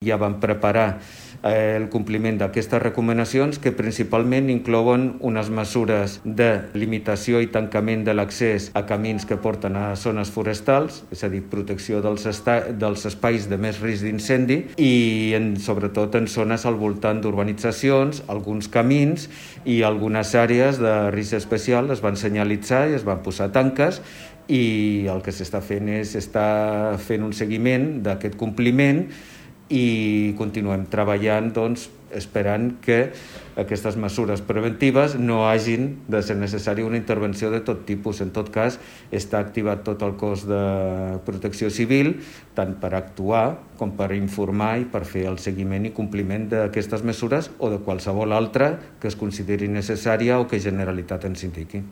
Ja vam preparar el compliment d'aquestes recomanacions, que principalment inclouen unes mesures de limitació i tancament de l'accés a camins que porten a zones forestals, és a dir, protecció dels espais de més risc d'incendi i sobretot en zones al voltant d'urbanitzacions, alguns camins i algunes àrees de risc especial es van senyalitzar i es van posar tanques, i el que s'està fent és fent un seguiment d'aquest compliment i continuem treballant esperant que aquestes mesures preventives no hagin de ser necessària una intervenció de tot tipus. En tot cas, està activat tot el cos de protecció civil, tant per actuar com per informar i per fer el seguiment i compliment d'aquestes mesures o de qualsevol altra que es consideri necessària o que Generalitat ens indiqui.